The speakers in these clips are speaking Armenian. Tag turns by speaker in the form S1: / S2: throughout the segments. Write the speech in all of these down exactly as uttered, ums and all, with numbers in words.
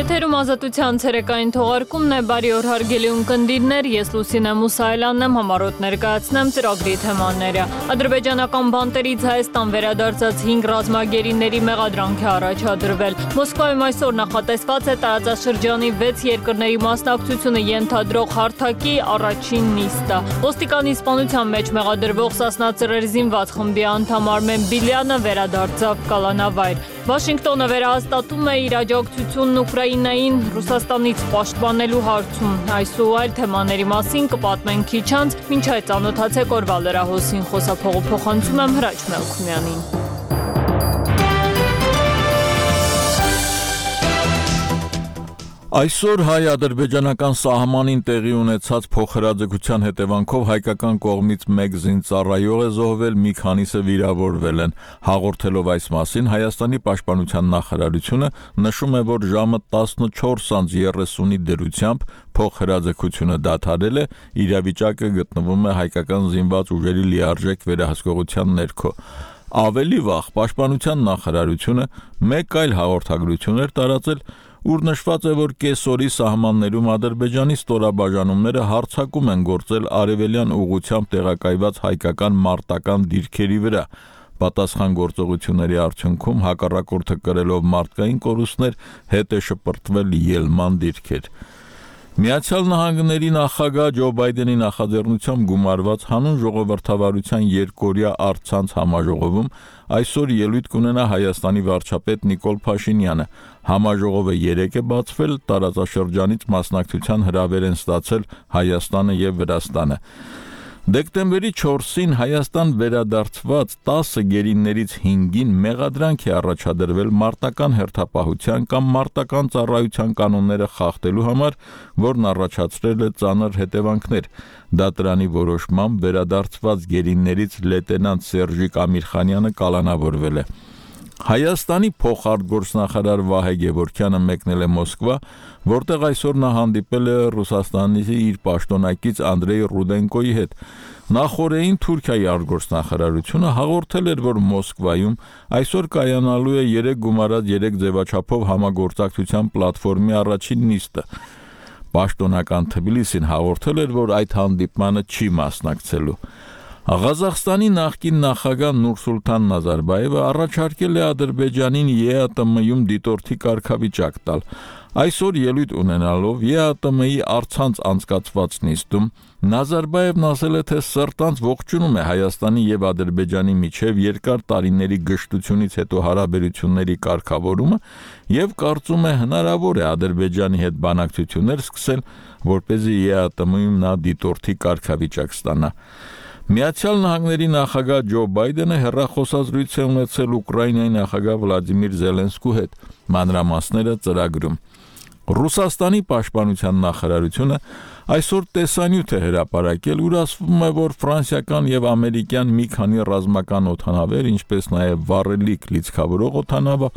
S1: Եթերում ազատության ցերեկային թողարկումն է, բարի օր հարգելի ունկնդիրներ, ես Լուսինե Մուսայելյանն եմ, համառոտ ներկայացնեմ ծրագրի թեմաները։ Ադրբեջանական բանտերից Հայաստան վերադարձած հինգ ռազմագերիների մեղադրանք է առաջադրվել։ Մոսկվայում այսօր նախատեսված է տարածաշրջանի վեց երկրների մասնակցությունը ենթադրող հարթակի առաջին նիստը։ Ոստիկանի սպանության մեջ մեղադրվող Սասնա ծռեր զինված խմբի անդամ Արմեն Բիլյանը վերադարձավ կալանավայր։ Վաշինգտոնը վերահաստատում է իր աջակցությունն Ուկրաինային Ռուսաստանից պաշտպանելու հարցում։ Այս ու այլ թեմաների մասին կպատմենք քիչ անց, մինչ այդ ծանոթացեք օրվա լրահոսին, խոսափողը փոխանցում եմ Հրաչ Մելքումյանին։
S2: Այսօր հայ-ադրբեջանական սահմանին տեղի ունեցած փոխհրաձգության հետևանքով հայկական կողմից մեկ զինծառայող է զոհվել, մի քանիսը վիրավորվել են։ Հաղորդելով այս մասին, Հայաստանի պաշտպանության նախարարությունը նշում է, որ ժամը տասնչորս անց երեսունի դրությամբ փոխհրաձգությունը դադարել է, իրավիճակը գտնվում է հայկական զինված ուժերի լիարժեք վերահսկողության ներքո։ Ավելի վաղ պաշտպանության նախարարությունը մեկ այլ հաղորդագրություն էր տարածել, ուր նշված է, որ կեսօրի սահմաններում Ադրբեջանի ստորաբաժանումները հարձակում են գործել արևելյան ուղղությամբ տեղակայված հայկական մարտական դիրքերի վրա։ Պատասխան գործողությունների արդյունքում հակառակորդը կրելով մարդկային կորուստներ հետ է շպրտվել ելման դիրքեր։ Միացյալ Նահանգների նախագահ Ջո Բայդենի նախաձեռնությամբ գումարված հանուն ժողովրդավարության երկօրյա առցանց համաժողովում այսօր ելույթ կունենա Հայաստանի վարչապետ Նիկոլ Փաշինյանը։ Համաժողովը երեկ է բացվել, տարածաշրջանից մասնակցության հրավեր են ստացել Հայաստանը եւ Վրաստանը։ Դեկտեմբերի չորսին Հայաստան վերադարձված տասը գերիներից հինգին մեղադրանք է առաջադրվել մարտական հերթապահության կամ մարտական ծառայության կանոնները խախտելու համար, որն առաջացրել է ծանր հետևանքներ։ Դատարանի որոշմամբ վերադարձված գերիներից լեյտենանտ Սերժիկ Ամիրխանյանը կալանավորվել է։ Հայաստանի փոխարտգործնախարար Վահե Գևորգյանը մեկնել է Մոսկվա, որտեղ այսօր նա հանդիպել է Ռուսաստանի իր պաշտոնակից Անդրեյ Ռուդենկոյի հետ։ Նախորդին Թուրքիայի արտգործնախարարությունը հաղորդել էր, որ Մոսկվայում այսօր կայանալու է երեք գումարած երեք ձևաչափով համագործակցության պլատֆորմի առաջին նիստը։ Պաշտոնական Թբիլիսին հաղորդել էր, որ այդ հանդիպմանը չի մասնակցելու։ Ղազախստանի նախկին նախագահ Նուրսուլտան Նազարբայևը առաջարկել է Ադրբեջանին ԵԱՏՄ-ում դիտորդի կարգավիճակ տալ։ Այսօր ելույթ ունենալով ԵԱՏՄ-ի առցանց անցկացված նիստում Նազարբայևն ասել է, թե սրտանց ողջունում է Հայաստանի եւ Ադրբեջանի միջև երկար տարիների գժտությունից հետո հարաբերությունների կարգավորումը եւ կարծում է հնարավոր է Ադրբեջանի հետ բանակցություններ սկսել, որպեսզի ԵԱՏՄ-ում նա դիտորդի կարգավիճակ ստանա։ Միացյալ Նահանգների նախագահ Ջո Բայդենը հեռախոսազրույց է ունեցել Ուկրաինայի նախագահ Վլադիմիր Զելենսկու հետ, մանրամասները ծրագրում։ Ռուսաստանի պաշտպանության նախարարությունը այսօր տեսանյութ է հրապարակել, ուր ասվում է, որ ֆրանսիական եւ ամերիկյան մի քանի ռազմական օդանավեր, ինչպես նաեւ վառելիք լիցքավորող օդանավը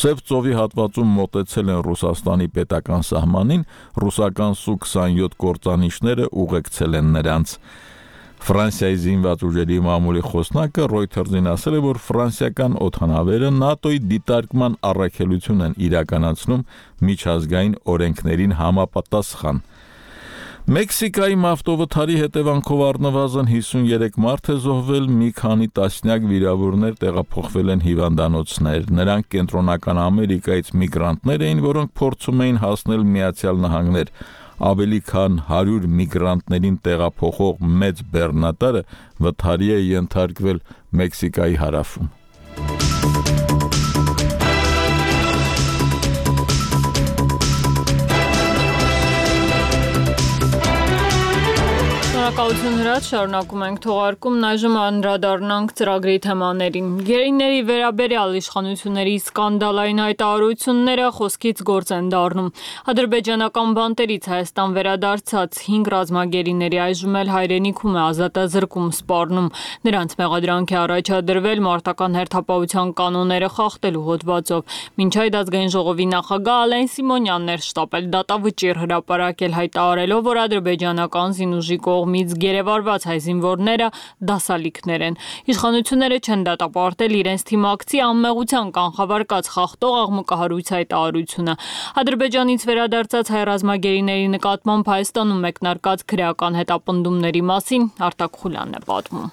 S2: Սև ծովի հատվածում մոտեցել են Ռուսաստանի պետական սահմանին, ռուսական Սու քսանյոթ կործանիչները ուղեկցել են նրանց։ Ֆրանսիայի զինված ուժերի մամուլի խոսնակը Reuters-ին ասել է, որ ֆրանսիական օդանավերը ՆԱՏՕ-ի դիտարկման առաքելություն են իրականացնում միջազգային օրենքներին համապատասխան։ Մեքսիկայի ավտովթարի հետևանքով առնվազն հիսուներեք մարդ է զոհվել, մի քանի տասնյակ վիրավորներ տեղափոխվել են հիվանդանոցներ։ Նրանք Կենտրոնական Ամերիկայից միգրանտներ էին, որոնք փորձում էին հասնել Միացյալ Նահանգներ։ Ավելի քան հարյուր միգրանտներին տեղափոխող մեծ բեռնատարը վթարի է ենթարկվել Մեքսիկայի հարավում։
S1: Շնորհակալություն Հրաչ, շարունակում ենք թողարկումն, այժմ անդրադառնանք ծրագրի թեմաներին։ Գերիների վերաբերյալ իշխանությունների սկանդալային հայտարարությունները խոսքից գործ են դառնում։ Ադրբեջանական բանտերից Հայաստան վերադարձած հինգ ռազմագերիների այժմ էլ հայրենիքում է ազատազրկում սպառնում։ Նրանց մեղադրանք է առաջադրվել մարտական հերթապահության կանոնները խախտելու հոդվածով։ Մինչ այդ ազգային ժողովի նախագահ Ալեն Սիմոնյանն էր շտապել դատավճիռ հրապարակել, հայտարարելով, որ ադրբեջանական զինուժի կողմից կողմից գերեվարված հայ զինվորները դասալիքներ են։ Իշխանությունները չեն դատապարտել իրենց թիմակցի անմեղության կանխավարկած խախտող աղմկահարույց հայտարարությունը։ Ադրբեջանից վերադարձած հայ ռազմագերիների նկատմամբ Հայաստանում մեկնարկած քրեական հետապնդումների մասին Արտակ Խուլյանն է պատմում։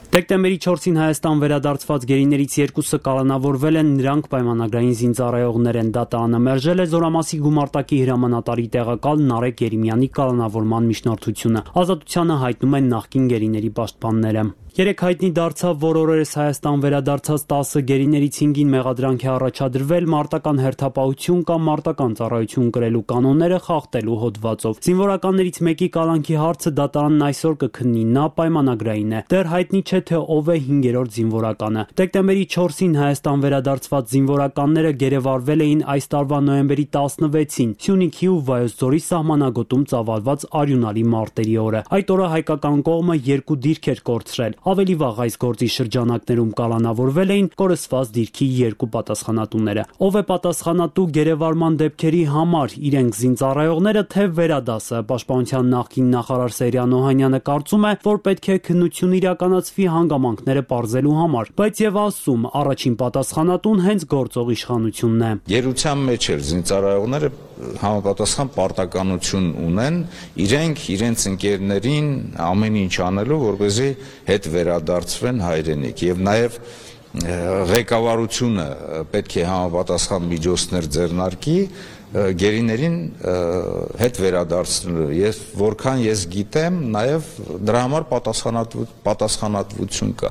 S3: Դեկտեմբերի չորսին Հայաստան վերադարձված գերիներից երկուսը կալանավորվել են, նրանք պայմանագրային զինծառայողներ են։ Դատարանը մերժել է Զորամասի գումարտակի հրամանատարի տեղակալ Նարեկ Երեմյանի կալանավորման միջնորդությունը։ Ազատությանը հայտնում են նախկին գերիների պաշտպանները։ Երեք հայտնի դարձավ, որ օրերս Հայաստան վերադարձած տասը գերիներից հինգին մեղադրանք է առաջադրվել մարտական հերթապահություն կամ մարտական ծառայություն կրելու կանոնները խախտելու հոդվածով։ Զինվորականներից մեկի կալանքի հարցը դատարանն այսօր կքննի, նա պայմանագրային է։ Դեռ հայտնի չէ, թե ով է հինգերորդ զինվորականը։ Դեկտեմբերի չորսին Հայաստան վերադարձված զինվորականները գերեվարվել էին այս տարվա նոյեմբերի տասնվեցին Սյունիքի ու Վայոց ձորի սահմանագոտում ծավալված արյունալի մարտերի օրը։ Այդ օրը հայկական կողմը երկու դիրք էր կորցրել։ Ավելի վաղ այս գործի շրջանակներում կալանավորվել էին կորսված դիրքի երկու պատասխանատուները։ Ով է պատասխանատու գերեվարման դեպքերի համար, իրենք զինծառայողները, թե վերադասը։ Պաշտպանության նախկին նախարար Սերյան Օհանյանը կարծում է, որ պետք է քննություն իրականացվի հանգամանքները պարզելու համար, բայց եւ ասում, առաջին պատասխանատուն հենց գործող իշխանությունն է։
S4: Գերության մեջ էլ զինծառայողները համապատասխան պարտականություն ունեն իրենք իրենց ընկերներին ամեն ինչ անելու, որպեսզի հետ վերադարձվեն հայրենիք, եւ նաեւ ղեկավարությունը պետք է համապատասխան միջոցներ ձեռնարկի գերիներին հետ վերադարձնելու։ Ես որքան ես գիտեմ, նաեւ դրա համար պատասխանատվություն կա։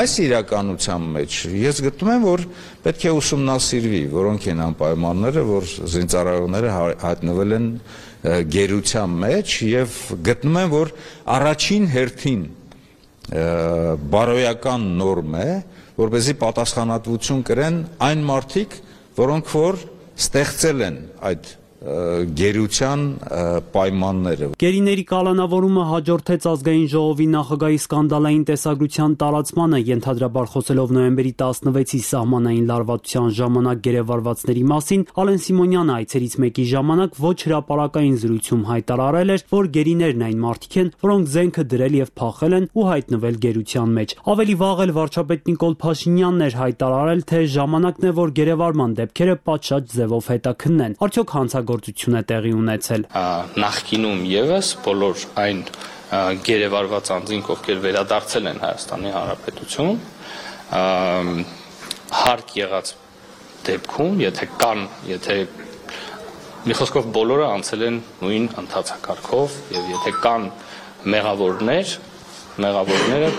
S4: Այս իրականության մեջ ես գտնում եմ, որ պետք է ուսումնասիրվի, որոնք են անպայմանները, որ զինծառայողները հայտնվել են գերության մեջ, եւ գտնում եմ, որ առաջին հերթին բարոյական նորմ է, որպեսզի պատասխանատվություն կրեն այն մարդիկ, որոնք որ ստեղծել են այդ գերության պայմանները։
S3: Գերիների կալանավորումը հաջորդեց ազգային ժողովի նախագահի սկանդալային տեսագրության տարածմանը, ենթադրաբար խոսելով նոյեմբերի տասնվեցի սահմանային լարվածության ժամանակ գերեվարվածների մասին, Ալեն Սիմոնյանը այցերից մեկի ժամանակ ոչ հրապարակային զրույցում հայտարարել էր, որ գերիներն այն մարդիկ են, որոնք զենքը դրել եւ փախել են ու հայտնվել գերության մեջ։ Ավելի վաղ էլ վարչապետ Նիկոլ Փաշինյանն էր հայտարարել, թե ժամանակն է, որ գերեվարման դեպքերը պատշաճ ձևով հետաքննեն։ Արդյոք հանցագործություն է տեղի ունեցել։
S5: Նախկինում եւս բոլոր այն գերեվարված անձինք, ովքեր վերադարձել են Հայաստանի Հանրապետություն, հարկ եղած դեպքում, եթե կան, եթե մի խոսքով բոլորը անցել են նույն ընթացակարգով, եւ եթե կան մեղավորներ, մեղավորները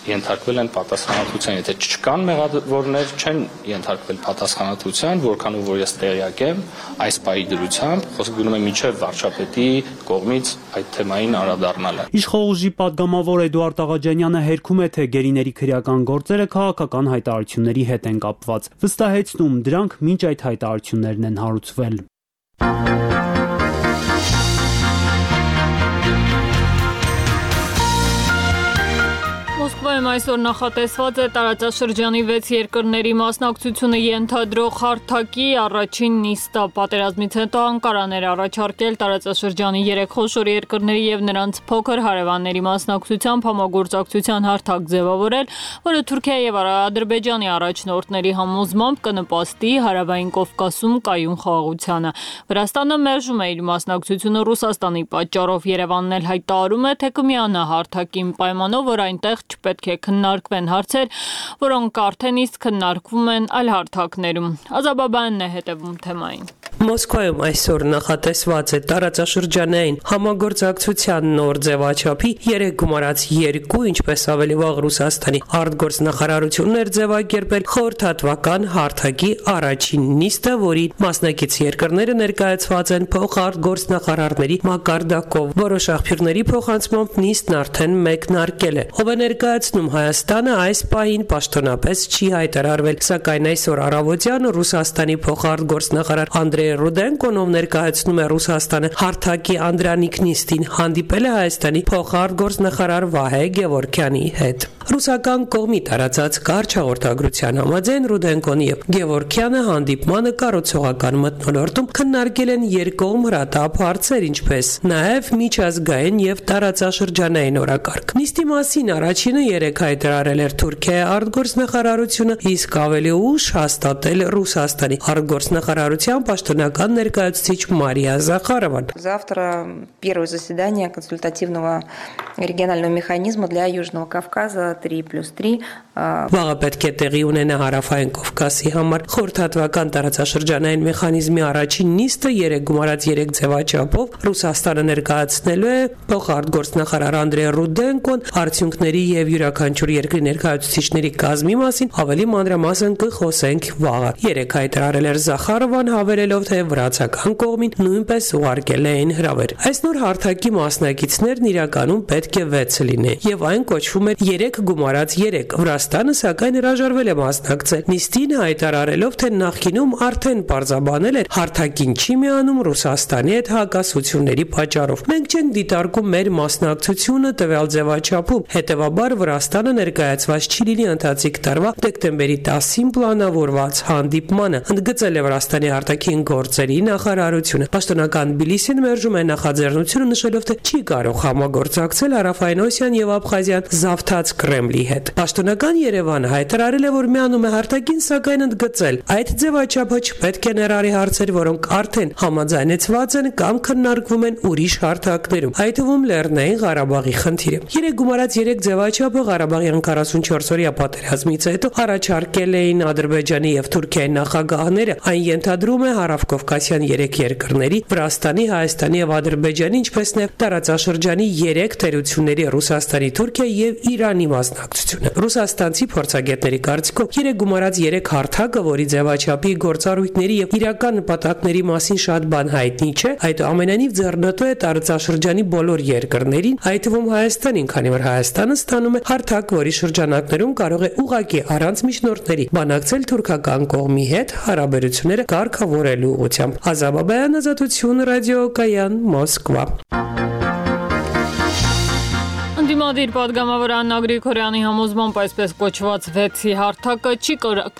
S5: ենթարկվել են պատասխանատվության, եթե չկան մեղավորներ, չեն ենթարկվել պատասխանատվության, որքանով որ ես տեղյակ եմ, այս պահի դրությամբ խոսքը գնում է մինչև վարչապետի կողմից այդ թեմային անդրադառնալը։
S3: Իշխող ուժի падգամավոր Էդուարդ Աղաջանյանը հերքում է, թե գերիների քրեական գործերը քաղաքական հայտարարությունների հետ են կապված։ Վստահեցնում, դրանք մինչ այդ հայտարարություններն են հարուցվել։
S1: Մոսկվայում այսօր նախատեսված է տարածաշրջանի վեց երկրների մասնակցությունը ենթադրող հարթակի առաջին նիստը։ Պատերազմից հետո Անկարաներ առաջարկել տարածաշրջանի երեք խոշոր երկրների եւ նրանց փոքր հարևանների մասնակցությամբ համագործակցության հարթակ ձևավորել, որը Թուրքիայի եւ Ադրբեջանի առաջնորդների համոզմամբ կնպաստի Հարավային Կովկասում կայուն խաղաղությանը։ Վրաստանը մերժում է իր մասնակցությունը Ռուսաստանի պատճառով։ Երևանն էլ հայտարարում է, թե կմիանա հարթակին պայմանով, որ այնտեղ չպետք է քննարկվեն հարցեր, որոնք արդեն իսկ քննարկվում են այլ հարթակներում։ Ազաբաբյանն է հետևում թեմային։
S6: Մոսկվայում այսօր նախատեսված է տարածաշրջանային համագործակցության նոր ձևաչափի երեք գումարած երկու, ինչպես ավելի վաղ Ռուսաստանի արտգործնախարարությունն էր ձևակերպել խորհրդատվական հարթակի առաջին նիստը, որի մասնակից երկրները ներկայացված են փոխարտգործնախարարների մակարդակով։ Որոշ աղբյուրների փոխանցմամբ նիստն արդեն մեկնարկել է։ Ով է ներկայացնում Հայաստանը, այս պահին պաշտոնապես չի հայտարարվել, սակայն այսօր առավոտյան Ռուսաստանի փոխարտգործնախարար Անդրեյ Ռուդենկոն, ով ներկայացնում է Ռուսաստանը հարթակի անդրանիկ նիստին, հանդիպել է Հայաստանի փոխարտգործնախարար Վահե Գևորգյանի հետ։ Ռուսական կողմի տարածած կարճ հաղորդագրության համաձայն Ռուդենկոն եւ Գևորգյանը հանդիպմանը կառուցողական մթնոլորտում քննարկել են երկկողմ հրատապ հարցեր, ինչպես նաեւ միջազգային եւ տարածաշրջանային օրակարգ։ Նիստի մասին առաջինը երեկ հայտարարել էր Թուրքիայի արտգործնախարարությունը, իսկ ավելի ուշ հաստատել Ռուսաստանի արտգործնախարարության պաշտոնական ներկայացուցիչ Մարիա Захаровան։
S7: Завтра первое заседание консультативного регионального механизма для Южного Кавказа три плюс три.
S6: Վաղը պետք է տեղի ունենա Հարավային Կովկասի համար խորհրդատվական տարածաշրջանային մեխանիզմի առաջին նիստը երեք գումարած երեք ձևաչափով Ռուսաստանը ներկայացնելու է փոխարտգործնախարար Անդրեյ Ռուդենկոն արդյունքների եւ յուրաքանչյուր երկրի ներկայացուցիչների կազմի մասին ավելի մանրամասն կխոսենք վաղը։ Երեք հայտարարել էր Захаровան, հավելելով, թե վրացական կողմին նույնպես ուղարկել էին հրավեր։ Այս նոր հարթակի մասնակիցներն իրականում պետք է վեց լինեն եւ այն կոչվում է երեք գումարած երեք։ Վրաստանը սակայն հրաժարվել է մասնակցել նիստին, հայտարարելով, թե նախկինում արդեն պարզաբանել էր հարթակին չի միանում Ռուսաստանի հետ հակասությունների պատճառով։ Մենք չենք դիտարկում մեր մասնակցությունը տվյալ ձևաչափում, հետևաբար Վրաստանը ներկայացված չի լինի ընթացիկ տարվա դեկտեմբերի տասին պլանավորված հանդիպմանը, ընդգծել է Վրաստանի արտաքին գործերի նախարարությունը։ Պաշտոնական Թբիլիսին մերժում է նախաձեռնությունը, նշելով, թե չի կարող համագործակցել Հարավային Օսիան եւ Աբխազիան զավթած Կրեմլի հետ։ Պաշտոնական Երևանը հայտարարել է, որ միանում է հարթակին, սակայն ընդգծել, այդ ձևաչափը չպետք է ներառի հարցեր, որոնք արդեն համաձայնեցված են կամ քննարկվում են ուրիշ հարթակներում, այդ թվում Լեռնային Ղարաբաղի խնդիրը։ Երեք գումարած երեք ձևաչափը Ղարաբաղյան քառասունչորս օրյա պատերազմից հետո առաջարկել էին Ադրբեջանի եւ Թուրքիայի նախագահները, այն ենթադրում է հարավկովկասյան երեք երկրների՝ Վրաստանի, Հայաստանի եւ Ադրբեջանի, ինչպես նաեւ տարածաշրջանի երեք թերությունների՝ Ռուսաստանի, Թուրքիայի եւ Իրանի մասնակցությունը։ Ռուսաստանցի փորձագետների կարծիքով երեք գումարած երեք հարթակը, որի ձևաչափի, գործառույթների եւ իրական նպատակների մասին շատ բան հայտնի չէ, այդուամենայնիվ ձեռնտու է տարածաշրջանի բոլոր երկրներին, այդ թվում Հայաստանին, քանի որ Հայաստանը ստանում է հարթակ, որի շրջանակներում կարող է ուղղակի առանց միջնորդների բանակցել թուրքական կողմի հետ հարաբերությունները կարգավորելու ուղղությամբ։ Ազատ Բաբայան, Ազատություն, ռադիոկայան, Մոսկվա։
S1: Դիմադիր պատգամավոր Աննա Գրիգորյանի համոզմամբ այսպես կոչված վեցի հարթակը չի,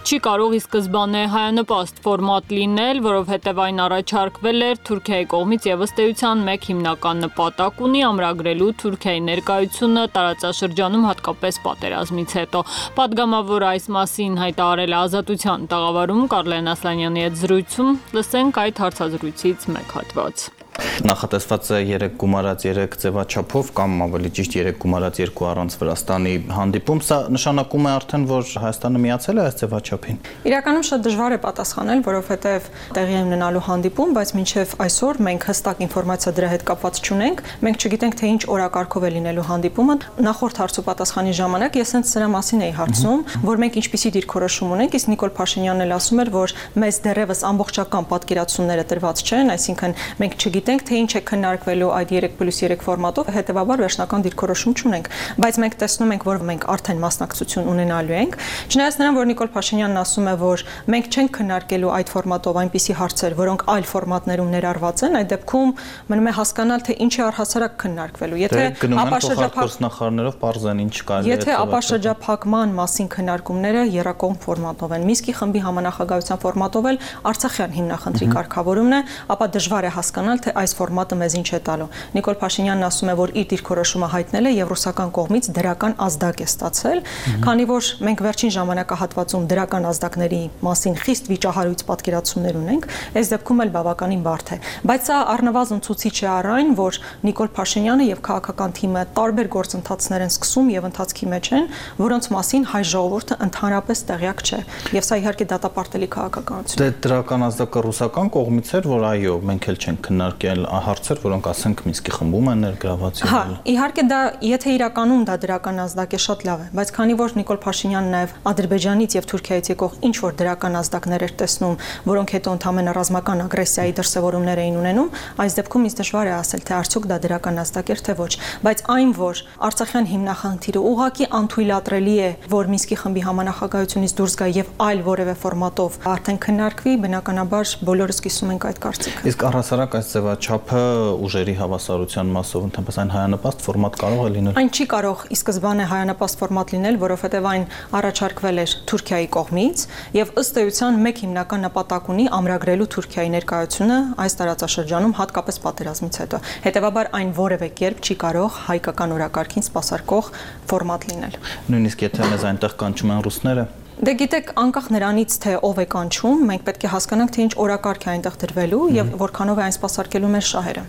S1: չի կարող ի սկզբանե հայանպաստ ֆորմատ լինել, որովհետև այն առաջարկվել էր Թուրքիայի կողմից եւ ըստ էության մեկ հիմնական նպատակ ունի ամրագրելու Թուրքիայի ներկայությունը տարածաշրջանում, հատկապես պատերազմից հետո։ Պատգամավոր այս մասին հայտարարել է Ազատության տաղավարում Կարլեն Ասլանյանի հետ զրույցում, լսենք այդ հարցազրույցից մեկ հատված։
S8: Նախատեսված է երեք գումարած երեք ձևաչափով կամ ավելի ճիշտ երեք գումարած երկու առանց Վրաստանի հանդիպում, սա նշանակում է արդեն, որ Հայաստանը միացել է այս ձևաչափին։
S9: Իրականում շատ դժվար է պատասխանել, որովհետև տեղի է ունենալու հանդիպում, բայց մինչև այսօր մենք հստակ ինֆորմացիա դրա հետ կապված չունենք, մենք չգիտենք, թե ինչ օրակարգով է լինելու հանդիպումը։ Նախորդ հարցու պատասխանի ժամանակ ես հենց սրա մասին էի հարցում, որ մենք ինչպիսի դիրքորոշում ունենք, իսկ Նիկոլ Փաշինյանն էլ ասում էր, որ մեզ դեռևս ամբողջական պատկերացումները տրված չեն, այսինքն մենք չգիտենք, թե ինչ է քննարկվելու այդ երեք պլյուս երեք ֆորմատով, հետեւաբար վերջնական դիրքորոշում չունենք, բայց մենք տեսնում ենք, որ մենք արդեն մասնակցություն ունենալու ենք։ Չնայած նրան, որ Նիկոլ Փաշինյանն ասում է, որ մենք չենք քննարկելու այդ ֆորմատով այնպիսի հարցեր, որոնք այլ ֆորմատներում ներառված են, այդ դեպքում մնում է հասկանալ, թե ինչ է առհասարակ քննարկվելու։ Եթե
S8: ապաշրջափակներով բարձրան ինչ կարելի է։
S9: Եթե ապաշրջափակման մասին քննարկումները եռակողմ ֆորմատով են, Մինսկի խմբի համանախագահության ֆորմատով էլ Արցախյան հիմնախնդրի կարգավորումն է, ապա դժվար է հասկանալ, թե այս ֆորմատը մեզ ինչ է տալու։ Նիկոլ Փաշինյանն ասում է, որ իր դիրքորոշումը հայտնել է եւ ռուսական կողմից դրական ազդակ է ստացել, քանի որ մենք վերջին ժամանակահատվածում դրական ազդակների մասին խիստ վիճահարույց պատկերացումներ ունենք, այս դեպքում էլ բավականին բարդ է։ Բայց սա առնվազն ցույց է առ այն, որ Նիկոլ Փաշինյանը եւ քաղաքական թիմը տարբեր գործընթացներ են սկսում եւ ընթացքի մեջ են, որոնց մասին հայ ժողովուրդը ընդհանրապես տեղյակ չէ։ Եվ սա իհարկե դատապարտելի քաղաքականություն է։
S8: Դե դրական ազդակը ռուսական կողմից էր, որ այո, մենք էլ չենք քննարկել հարցեր, որոնք ասենք Մինսկի խմբում են ներգրաված եղել։
S9: Հա, իհարկե դա, եթե իրականում դա դրական ազդակ է, շատ լավ է, բայց քանի որ Նիկոլ Փաշինյանն նաև Ադրբեջանից եւ Թուրքիայից եկող ինչ որ դրական ազդակներ էր տեսնում, որոնք հետո ընդհանրապես ռազմական ագրեսիայի դրսևորումներ էին ունենում, այս դեպքում ինձ դժվար է ասել, թե արդյոք դա դրական ազդակ էր թե ոչ, բայց այն, որ Արցախյան հիմնախնդիրը ուղղակի անթույլատրելի է, որ Մինսկի խմբի համանախագահությունից դուրս գա եւ այլ որևէ ֆորմատով արդեն քննարկվի, բնականաբար բոլորս կիսում ենք այդ կարծիքը։
S8: Իսկ առհասարակ այս ձևաչափ չափը ուժերի հավասարության մասով ընդհանրապես այն հայանպաստ ֆորմատ կարող է լինել։
S9: Այն չի կարող ի սկզբանե հայանպաստ ֆորմատ լինել, որովհետև այն առաջարկվել էր Թուրքիայի կողմից եւ ըստ էության մեկ հիմնական նպատակ ունի ամրագրելու Թուրքիայի ներկայությունը այս տարածաշրջանում հատկապես պատերազմից հետո։ Հետևաբար այն որևէ կերպ չի կարող հայկական օրակարգին սպասարկող ֆորմատ լինել։
S8: Նույնիսկ եթե մեզ այնտեղ կանչում են ռուսները։
S9: Դե գիտեք, անկախ նրանից թե ով է կանչում, մենք պետք է հասկանանք, թե ինչ օրակարգ է այնտեղ դրվելու եւ որքանով է այն սպասարկելու մեր շահերը։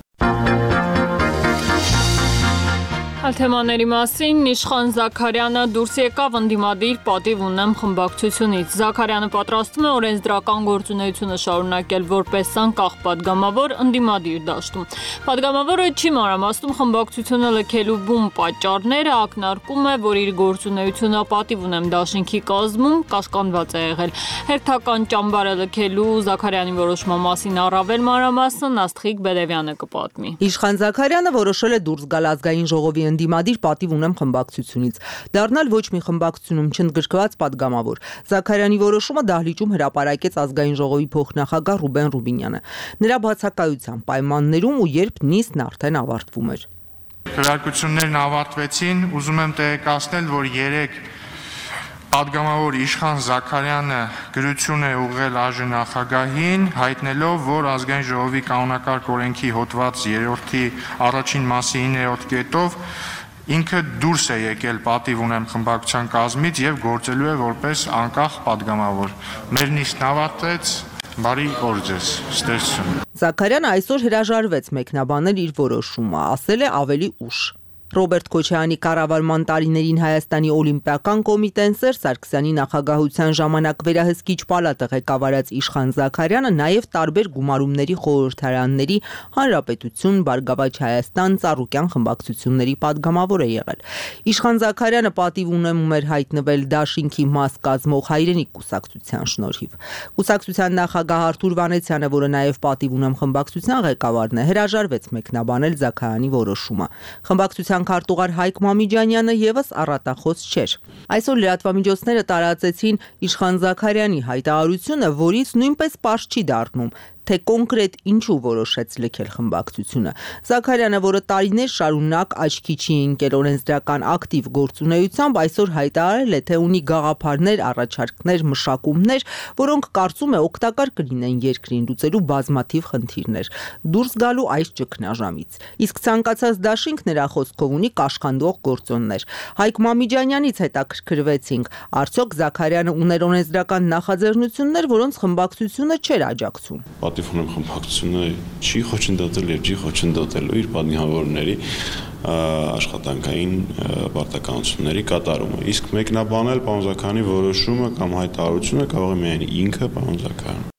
S1: Այլ թեմաների մասին Իշխան Զաքարյանը դուրս եկավ ընդդիմադիր պատիվ ունեմ խմբակցությունից։ Զաքարյանը պատրաստվում է օրենսդրական գործունեությունը շարունակել որպես անկախ падգամավոր ընդդիմադիր դաշտում։ Падգամավորը չի մանրամասնում խմբակցությունը լքելու բուն պատճառները, ակնարկում է, որ իր գործունեությունը պատիվ ունեմ դաշինքի կազմում կաշկանդված է եղել։ Հերթական ճամբարը լքելու Զաքարյանի որոշման մասին առավել մանրամասն Աստղիկ Բերևյանը կպատմի։
S10: Իշխան Զաքարյանը որոշել է դուրս գալ ազգային ժողովի ընդդիմադիր պատիվ ունեմ խմբակցությունից, դառնալ ոչ մի խմբակցությունում չընդգրկված падգամավոր։ Զաքարյանի որոշումը դահլիճում հրապարակեց ազգային ժողովի փոխնախագահ Ռուբեն Ռուբինյանը։ Նրա բացակայության պայմաններում ու երբ նիստն արդեն ավարտվում էր։
S11: Քվեարկություններն ավարտվեցին, ուզում եմ տեղեկացնել, որ երեք падգամավոր Իշխան Զաքարյանը գրություն է ուղղել ԱԺ նախագահին, հայտնելով, որ ազգային ժողովի կանոնակարգ օրենքի հոդված երրորդի առաջին մասի իններորդ կետով ինքը դուրս է եկել պատիվ ունեմ խմբակցության կազմից եւ գործելու է որպես անկախ падգամավոր։ Մեր նիստն ավարտեց, բարի օր ձեզ, ստեսություն։
S10: Զաքարյանը այսօր հրաժարվեց մեկնաբանել իր որոշումը, ասել է ավելի ուշ։ Ռոբերտ Քոչարյանի կառավարման տարիներին Հայաստանի Օլիմպիական կոմիտեն Սերժ Սարգսյանի նախագահության ժամանակ վերահսկիչ պալատը ղեկավարած Իշխան Զաքարյանը նաև տարբեր գումարումների խորհրդարանների Հանրապետություն, Բարգավաճ Հայաստան, Ծառուկյան խմբակցությունների падգամավոր է եղել։ Իշխան Զաքարյանը պատիվ ունենում էր հայտնվել դաշինքի մաս կազմող Հայրենիք կուսակցության շնորհիվ։ Կուսակցության նախագահ Արթուր Վանեցյանը, որը նաև պատիվ ունեմ խմբակցության ղեկավարն է, հրաժարվեց մեկնաբանել Զաքարյանի որոշումը։ Խմբակցության քարտուղար Հայկ Մամիջանյանը եւս առատախոս չէր։ Այսօր լրատվամիջոցները տարածեցին Իշխան Զաքարյանի հայտարարությունը, որից նույնպես պարզ չի դառնում, թե կոնկրետ ինչու որոշեց լքել խմբակցությունը։ Զաքարյանը, որը տարիներ շարունակ աչքի չի ընկել օրենսդրական ակտիվ գործունեությամբ, այսօր հայտարարել է, թե ունի գաղափարներ, առաջարկներ, մշակումներ, որոնք կարծում է օգտակար կլինեն երկրին լուծելու բազմաթիվ խնդիրներ, դուրս գալու այս ճգնաժամից։ Իսկ ցանկացած դաշինք նրա խոսքով ունի կաշխանդող գործոններ։ Հայկ Մամիջանյանից հետաքրքրվեցինք, արդյոք Զաքարյանը ուներ օրենսդրական նախաձեռնություններ, որոնց խմբակցությունը չէր աջակցում։
S12: Պատիվ ունեմ խմբակցությունը չի խոչընդոտել եւ չի խոչընդոտելու իր падգամավորների աշխատանքային պարտականությունների կատարումը։ Իսկ մեկնաբանել պարոն Զաքարյանի որոշումը կամ հայտարարությունը կարող է միայն ինքը պարոն Զաքարյանը։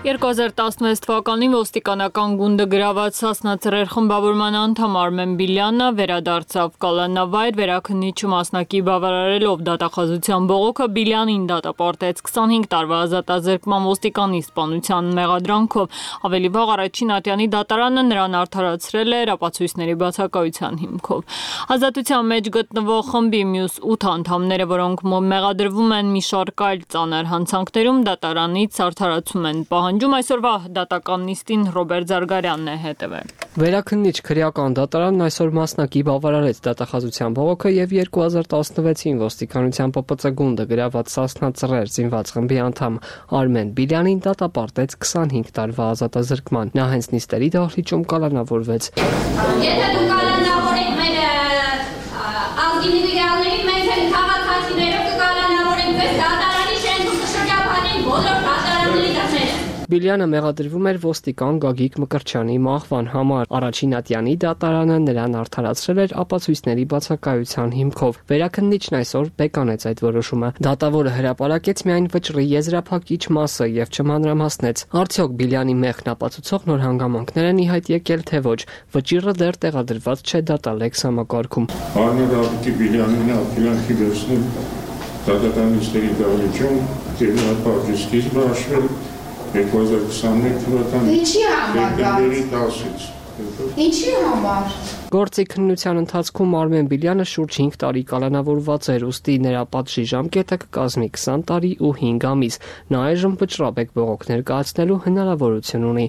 S1: երկու հազար տասնվեց թվականին ոստիկանական գունդը գրաված Սասնա Ծռեր խմբավորման անդամ Արմեն Բիլյանը վերադարձավ կալանավայր, վերաքննիչը մասնակի բավարարելով դատախազության բողոքը Բիլյանին դատապարտեց քսանհինգ տարվա ազատազրկման ոստիկանի սպանության մեղադրանքով։ Ավելի վաղ առաջին ատյանի դատարանը նրան արդարացրել էր ապացույցների բացակայության հիմքով։ Ազատության մեջ գտնվող խմբի մյուս ութ անդամները, որոնք մեղադրվում են մի շարք այլ ծանր հանցանքներում, դատարանից արդարացում են պահանջում։ Այսօրվա դատական նիստին Ռոբերտ Զարգարյանն է հետևել։
S6: Վերաքննիչ քրեական դատարանն այսօր մասնակի բավարարեց դատախազության բողոքը եւ երկու հազար տասնվեցին ոստիկանության Պ Պ Ծ գունդը գրաված Սասնա Ծռեր զինված խմբի անդամ Արմեն Բիլյանին դատապարտեց քսանհինգ տարվա ազատազրկման։ Նա հենց նիստերի դահլիճում կալանավորվեց։
S13: Եթե դու կալանավորեք մեր ազգի միգրալներին, մենք էլ քաղաքացիներով կկալանավորենք ձեզ դատարանի շենքում կշրջափանենք բոլոր դատարանների դռները։
S6: Բիլյանը մեղադրվում էր ոստիկան Գագիկ Մկրտչյանի մահվան համար։ Առաջին ատյանի դատարանը նրան արդարացրել էր ապացույցների բացակայության հիմքով։ Վերաքննիչն այսօր բեկանեց այդ որոշումը։ Դատավորը հրապարակեց միայն վճռի եզրափակիչ մասը եւ չմանրամասնեց։ Արդյոք Բիլյանի մեղքն ապացուցող նոր հանգամանքներ են ի հայտ եկել, թե ոչ։ Վճիռը դեռ տեղադրված չէ դատալեքս համակարգում։
S14: Արմեն Բիլյանին ապելանքի վերցնել դատականիստերի դահլիճում դեպի սկիզբը հաշվել երկու հազար քսաներեք թվականի
S13: Ինչի համար դա։
S14: դեկտեմբերի տասից
S13: Ինչի համար։
S6: Գործի քննության ընթացքում Արմեն Բիլյանը շուրջ հինգ տարի կալանավորված էր, ուստի նրա պատժի ժամկետը կկազմի քսան տարի ու հինգ ամիս։ Նա այժմ վճռաբեկ բողոք ներկայացնելու հնարավորություն ունի։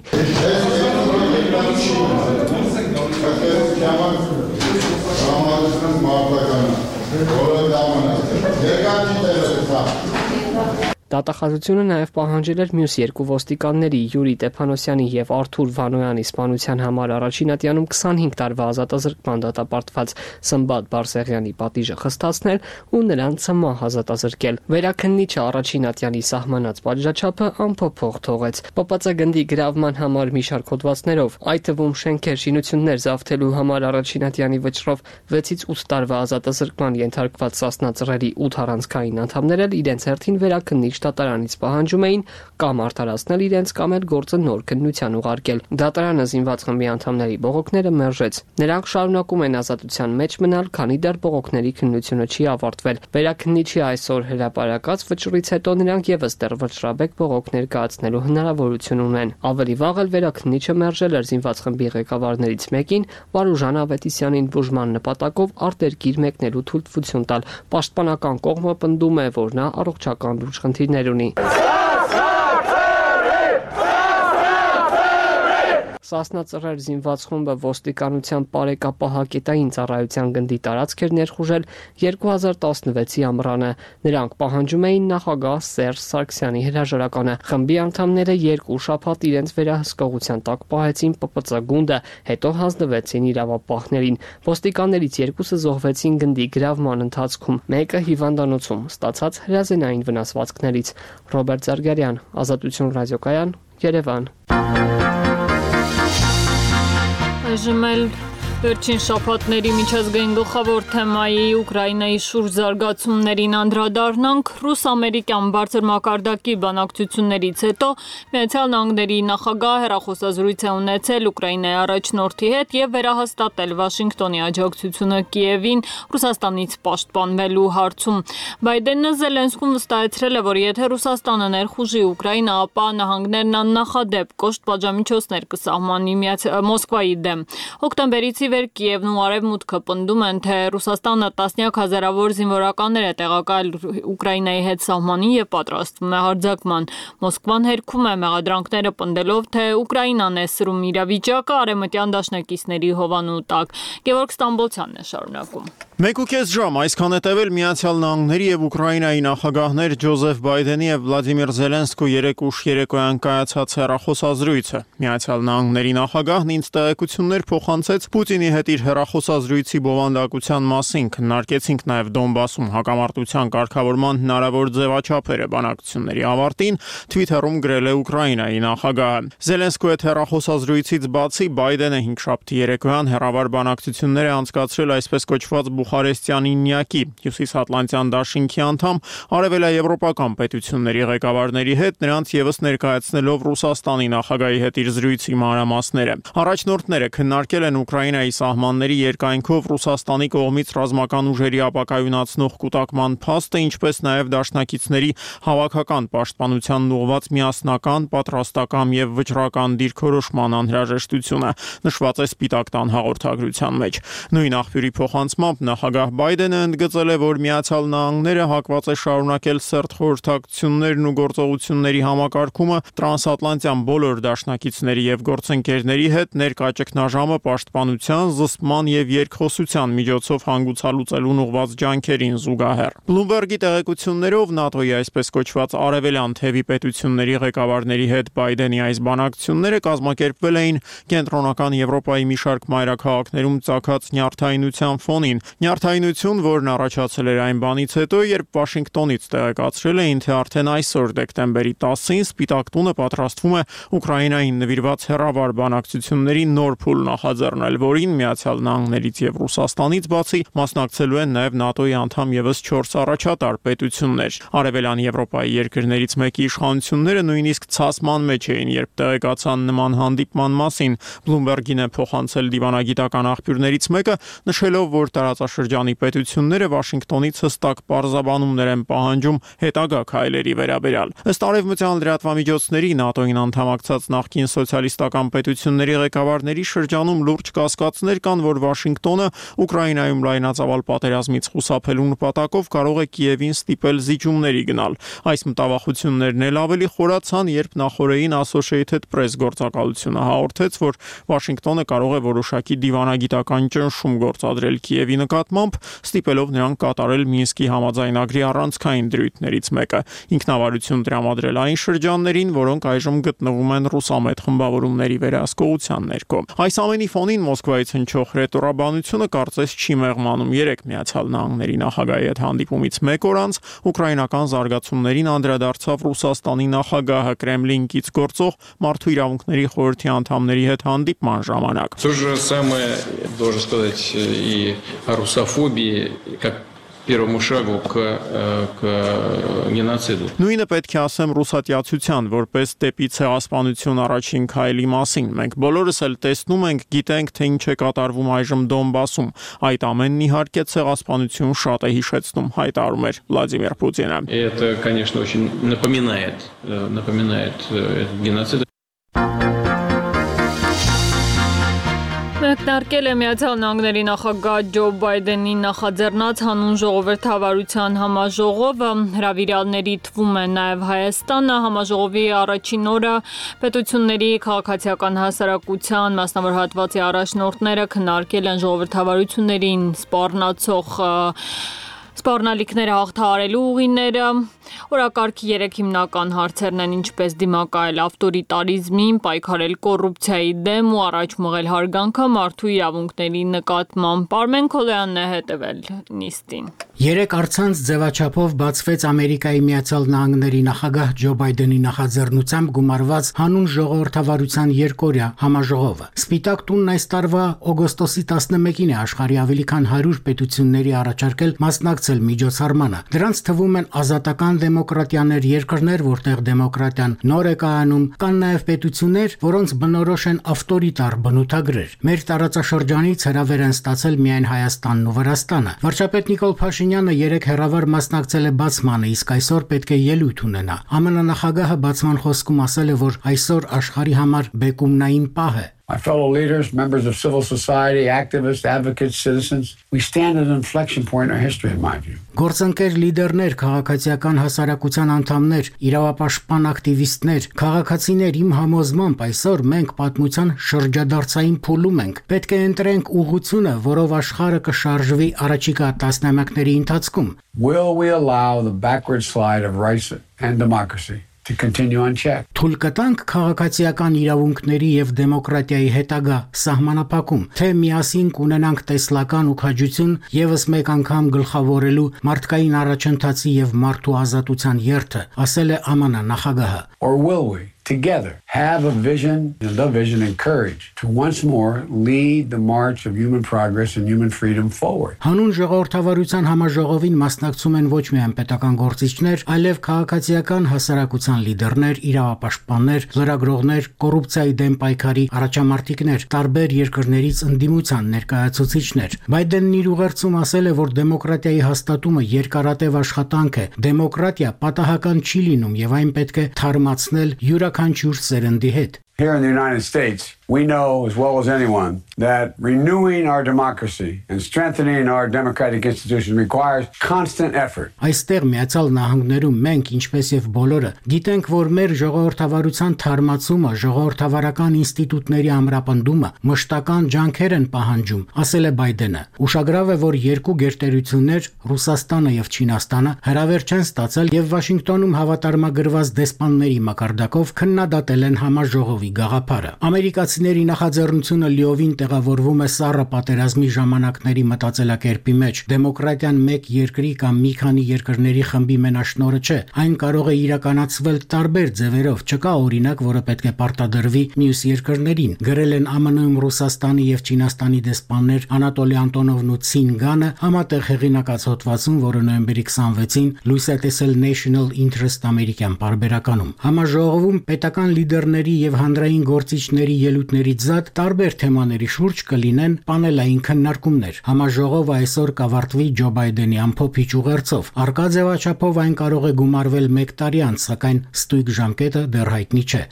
S6: Դատախազությունը նաև պահանջել էր մյուս երկու ոստիկանների՝ Յուրի Տեփանոսյանի եւ Արթուր Վանոյանի սպանության համար առաջինատյանում քսանհինգ տարվա ազատազրկման դատապարտված Սմբատ Բարսեղյանի պատիժը խստացնել ու նրան ցմահ ազատազրկել։ Վերաքննիչը առաջինատյանի սահմանած պատժաչափը անփոփոխ թողեց։ Պ Պ Ծ գնդի գրավման համար մի շարք հոդվածներով, այդ թվում շենքեր, շինություններ զավթելու համար առաջինատյանի վճռով վեցից ութ տարվա ազատազրկման ենթարկված Սասնա ծռերի ութ առանցքային անդամներ էլ իրենց հերթին վերաքննիչ դատարանից պահանջում էին կամ արդարացնել իրենց կամ էլ գործը նոր քննության ուղարկել։ Դատարանը զինված խմբի անդամների բողոքները մերժեց։ Նրանք շարունակում են ազատության մեջ մնալ, քանի դեռ բողոքների քննությունը չի ավարտվել։ Վերաքննիչի այսօր հրապարակած վճռից հետո նրանք եւս դեռ վճռաբեկ բողոք ներկայացնելու հնարավորություն ունեն։ Ավելի վաղ էլ վերաքննիչը մերժել էր զինված խմբի ղեկավարներից մեկին Վարուժան Ավետիսյանին բուժման նպատակով արտերկիր մեկնելու թույլտվություն տալ։ Պաշտպանական կողմը պնդում է, որ նա առողջական լուրջ խնդիրներ ունի։ Սասնա ծռեր զինված խումբը ոստիկանության բարեկապահակետային ծառայության գնդի տարածք էր ներխուժել երկու հազար տասնվեցի ամռանը։ Նրանք պահանջում էին նախագահ Սերժ Սարգսյանի հրաժարականը։ Խմբի անդամները երկու շաբաթ իրենց վերահսկողության տակ պահեցին Պ Պ Ծ գունդը, հետո հանձնվեցին իրավապահներին։ Ոստիկաններից երկուսը զոհվեցին գնդի գրավման ընթացքում, մեկը հիվանդանոցում ստացած հրազենային վնասվածքներից։ Ռոբերտ Զարգարյան, Ազատություն ռադիոկայան, Երևան։
S1: Այժմ էլ վերջին շաբաթների միջազգային գլխավոր թեմայի Ուկրաինայի շուրջ զարգացումներին անդրադառնանք։ Ռուս-ամերիկյան բարձր մակարդակի բանակցություններից հետո Միացյալ Նահանգների նախագահը հեռախոսազրույց է ունեցել Ուկրաինայի առաջնորդի հետ եւ վերահաստատել Վաշինգտոնի աջակցությունը Կիևին Ռուսաստանից պաշտպանվելու հարցում։ Բայդենը Զելենսկուն վստահեցրել է, որ եթե Ռուսաստանը ներխուժի Ուկրաինա, ապա նահանգներն աննախադեպ կոշտ պատժամիջոցներ կսահմանի Մոսկվայի դեմ։ Հոկտեմբերից վեր Կիևն ու Արևմուտքը պնդում են, թե Ռուսաստանը տասնյակ հազարավոր զինվորականներ է տեղակայել Ուկրաինայի հետ սահմանին եւ պատրաստվում է հարձակման։ Մոսկվան հերքում է մեղադրանքները պնդելով, թե Ուկրաինան է սրում իրավիճակը արևմտյան դաշնակիցների հովանու տակ։ Գևորգ Ստամբոլցյանն է շարունակում։
S15: Մեկ ու կես ժամ այսքան հետևել Միացյալ Նահանգների եւ Ուկրաինայի նախագահներ Ջոզեֆ Բայդենի եւ Վլադիմիր Զելենսկու երեկ ուշ երեկոյան կայացած հեռախոսազրույցը։ Միացյալ Նահանգների նախագահն ինձ տեղեկություններ փոխանցեց Պուտինի հետ իր հեռախոսազրույցի բովանդակության մասին, քննարկեցինք նաեւ Դոնբասում հակամարտության կարգավորման հնարավոր ձևաչափերը բանակցությունների ավարտին, Twitter-ում գրել է Ուկրաինայի նախագահը։ Զելենսկու հետ հեռախոսազրույցից բացի Բայդենը հինգշաբթի երեկոյան հեռավար բանակցություններ է անցկացրել այսպես կոչված Բուխարեստյան ինյակի հյուսիսատլանտյան դաշինքի անդամ արևելաեվրոպական պետությունների ղեկավարների հետ, նրանց եւս ներկայացնելով Ռուսաստանի նախագահի հետ իր զրույցի մանրամասները։ Առաջնորդները քննարկել են Ուկրաինայի սահմանների երկայնքով Ռուսաստանի կողմից ռազմական ուժերի ապակայունացնող կուտակման փաստը, ինչպես նաեւ դաշնակիցների հավաքական պաշտպանության ուղղված միասնական, պատրաստական եւ վճռական դիրքորոշման անհրաժեշտությունը, նշված է Սպիտակ տան հաղորդագրության մեջ։ Նույն աղբյուրի փոխանցմամբ նախագահ Բայդենը ընդգծել է, որ Միացյալ Նահանգները հակված է շարունակել սերտ խորհրդակցություններն ու գործողությունների համակարգումը տրանսատլանտյան բոլոր դաշնակիցների եւ գործընկերների հետ ներկա ճգնաժամը պաշտպանության, զսպման եւ երկխոսության միջոցով հանգուցալուծելուն ուղղված ջանքերին զուգահեռ։ Բլումբերգի տեղեկություններով ՆԱՏՕ-ի այսպես կոչված արևելյան թևի պետությունների ղեկավարների հետ Բայդենի այս բանակցությունները կազմակերպվել էին կենտրոնական Եվրոպայի մի շարք մայրաքաղաքներում ծագած նյարդայնության ֆոնին։ Նյարդայնություն, որն առաջացել էր այն բանից հետո, երբ Վաշինգտոնից տեղեկացրել էին, թե արդեն այսօր դեկտեմբերի տասին Սպիտակ տունը պատրաստվում է Ուկրաինային նվիրված հեռավար բանակցությունների նոր փուլ նախաձեռնել, որին Միացյալ Նահանգներից եւ Ռուսաստանից բացի մասնակցելու են նաեւ ՆԱՏՕ-ի անդամ եւս չորս առաջատար պետություններ։ Արևելյան Եվրոպայի երկրներից մեկի իշխանությունները նույնիսկ ցասման մեջ էին, երբ տեղեկացան նման հանդիպման մասին։ Բլումբերգին է փոխանցել դիվանագիտական աղբյուրներից մեկը, նշելով, որ տարածաշրջանում տարածաշրջանի պետությունները Վաշինգտոնից հստակ պարզաբանումներ են պահանջում հետագա քայլերի վերաբերյալ։ Ըստ արևմտյան լրատվամիջոցների ՆԱՏՕ-ին անդամակցած նախկին սոցիալիստական պետությունների ղեկավարների շրջանում լուրջ կասկածներ կան, որ Վաշինգտոնը Ուկրաինայում լայնածավալ պատերազմից խուսափելու նպատակով կարող է Կիևին ստիպել զիջումների գնալ։ Այս մտավախություններն էլ ավելի խորացան, երբ նախորդին Associated Press գործակալությունը հաղորդեց, որ Վաշինգտոնը կարող է որոշակի դիվանագիտական ճնշում գործադրել Կիևի նկատմամբ, ստիպելով նրան կատարել Մինսկի համաձայնագրի առանցքային դրույթներից մեկը՝ ինքնավարություն տրամադրել այն շրջաններին, որոնք այժմ գտնվում են ռուսամետ խմբավորումների վերահսկողության ներքո։ Այս ամենի ֆոնին Մոսկվայից հնչող հռետորաբանությունը կարծես չի մեղմանում։ Երեք Միացյալ Նահանգների նախագահի հետ հանդիպումից մեկ օր անց ուկրաինական զարգացումներին անդրադարձավ Ռուսաստանի նախագահը Կրեմլինից գործող Մարդու իրավունքների խորհրդի անդամների հետ հանդիպման ժամանակ։
S16: То же самое, должен сказать, и о русофобии, как первому шагу к, к геноциду.
S15: Նույնը պետք է ասեմ ռուսատյացության, որպես դեպի ցեղասպանություն առաջին քայլի մասին։ Մենք բոլորս էլ տեսնում ենք, գիտենք, թե ինչ է կատարվում այժմ Դոնբասում։ Այդ ամենն իհարկե ցեղասպանություն շատ է հիշեցնում, հայտարարում էր Վլադիմիր Պուտինը։
S16: Это, конечно, очень напоминает, напоминает геноцид.
S1: Մեկնարկել է Միացյալ Նահանգների նախագահ Ջո Բայդենի նախաձեռնած հանուն ժողովրդավարության համաժողովը, հրավիրյալների թվում է նաև Հայաստանը։ Համաժողովի առաջին օրը պետությունների քաղաքացիական հասարակության մասնավոր հատվածի առաջնորդները քննարկել են ժողովրդավարություններին սպառնացող սպառնալիքները հաղթահարելու ուղիները։ Օրակարգի երեք հիմնական հարցերն են ինչպես դիմակայել ավտորիտարիզմին, պայքարել կոռուպցիայի դեմ ու առաջ մղել հարգանքը մարդու իրավունքների նկատմամբ։ Արմեն Քոլյանն է հետևել նիստին։
S17: Երեք առցանց ձևաչափով բացվեց Ամերիկայի Միացյալ Նահանգների նախագահ Ջո Բայդենի նախաձեռնությամբ գումարված հանուն ժողովրդավարության երկօրյա համաժողովը։ Սպիտակ տունն այս տարվա օգոստոսի տասնմեկին է աշխարհի ավելի քան հարյուր պետությունների առաջարկել մասնակցել միջոցառմանը։ Դրանց թվում են ազատական դեմոկրատիաներ երկրներ, որտեղ դեմոկրատիան նոր է կայանում, կան նաև պետություններ, որոնց բնորոշ են ավտորիտար բնութագրեր։ Մեր տարածաշրջանից հրավեր են ստացել միայն Հայաստանն ու Վրաստանը։ Վարչապետ Նիկոլ Փաշինյանը երեք հեռավար մասնակցել է բացմանը, իսկ այսօր պետք է ելույթ ունենա։ ԱՄՆ նախագահը բացման խոսքում ասել է, որ այսօր աշխարհի համար բեկումնային պահ է։
S18: My fellow leaders, members of civil society, activists, advocates, citizens, we stand at an inflection point in our history, in my view.
S17: Գործընկեր լիդերներ, քաղաքացիական հասարակության անդամներ, իրավապաշտպան ակտիվիստներ, քաղաքացիներ, իմ համոզմամբ այսօր մենք պատմության շրջադարձային փուլում ենք։ Պետք է ընտրենք ուղղությունը, որով աշխարհը կշարժվի առաջիկա տասնամյակների ընթացքում։
S18: Will we allow the backward slide of rights and democracy to continue unchecked?
S17: Թույլ կտանք քաղաքացիական իրավունքների եւ դեմոկրատիայի հետագա սահմանափակում, թե միասին կունենանք տեսլական ու քաջություն եւս մեկ անգամ գլխավորելու մարդկային առաջընթացի եւ մարդու ազատության երթը, ասել է ԱՄՆ նախագահը։
S18: Or will we together have a vision, the vision and courage to once more lead the march of human progress and human freedom forward.
S17: Հանուն ժողովրդավարության համաժողովին մասնակցում են ոչ միայն պետական գործիչներ, այլև քաղաքացիական հասարակության լիդերներ, իրավապաշտպաններ, լրագրողներ, կոռուպցիայի դեմ պայքարի առաջամարտիկներ, տարբեր երկրներից ընդդիմության ներկայացուցիչներ։ Բայդենն իր ուղերձում ասել է, որ դեմոկրատիայի հաստատումը երկարատև աշխատանք է։ Դեմոկրատիա պատահական չի լինում եւ այն պետք է թարմացնել յուրաքանչյուր սերնդի հետ։
S18: Here in the United States, we know as well as anyone that renewing our democracy and strengthening our democratic institutions requires constant effort.
S17: Այստեղ Միացյալ Նահանգներում մենք, ինչպես եւ բոլորը, գիտենք, որ մեր ժողովրդավարության թարմացումը, ժողովրդավարական ինստիտուտների ամրապնդումը մշտական ջանքեր են պահանջում, ասել է Բայդենը։ Ուշագրավ է, որ երկու գերտերություններ, Ռուսաստանը եւ Չինաստանը, հրավեր չեն ստացել եւ Վաշինգտոնում հավատարմագրված դեսպանների մակարդակով քննադատել են համաժողովի գաղափարը։ Ամերիկացիների նախաձեռնությունը լիովին տեղավորվում է սառը պատերազմի ժամանակների մտածելակերպի մեջ։ Դեմոկրատիան մեկ երկրի կամ մի քանի երկրների խմբի մենաշնորհը չէ։ Այն կարող է իրականացվել տարբեր ձևերով, չկա օրինակ, որը պետք է պարտադրվի մյուս երկրներին։ Գրել են ԱՄՆ-ում Ռուսաստանի եւ Չինաստանի դեսպաններ Անատոլի Անտոնովն ու Ցին Գանը համատեղ հեղինակած հոդվածում, որը նոյեմբերի քսանվեցին լույս է տեսել National Interest ամերիկյան պարբերականում։ Համաժողովում պետական լիդերների եւ հանրային գործիչների ելույթ ինստիտուտներից զատ տարբեր թեմաների շուրջ կլինեն պանելային քննարկումներ։ Համաժողովը այսօր կավարտվի Ջո Բայդենի ամփոփիչ ուղերձով։ Արկա ձևաչափով այն կարող է գումարվել մեկ տարի անց, սակայն ստույգ ժամկետը դեռ հայտնի չէ։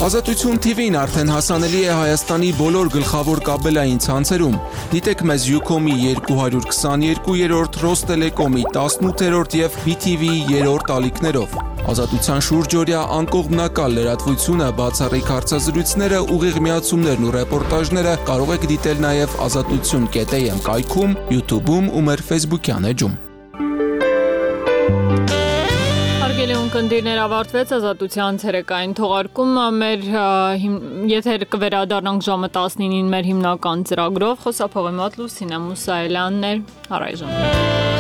S19: Ազատություն Թի Վին արդեն հասանելի է Հայաստանի բոլոր գլխավոր կաբելային ցանցերում։ Դիտեք մեզ Յուքոմի երկու հարյուր քսաներկուերորդ, Ռոստելեկոմի տասնութերորդ եւ Բի Թի Վիի երրորդ ալիքներով։ Ազատության շուրջօրյա անկողմնակալ լրատվությունը, բացառիկ հարցազրույցները, ուղիղ միացումներն ու ռեպորտաժները կարող եք դիտել նաեւ ազատություն կետ էյ էմ կայքում, YouTube-ում ու մեր Facebook-յան էջում։
S1: Հարգելի ունկնդիրներ, ավարտվեց Ազատության ցերեկային թողարկումը, մեր եթեր կվերադառնանք ժամը տասնինին մեր հիմնական ծրագրով, խոսափողի մոտ Լուսինե Մուսայելյանն էր, առայժմ։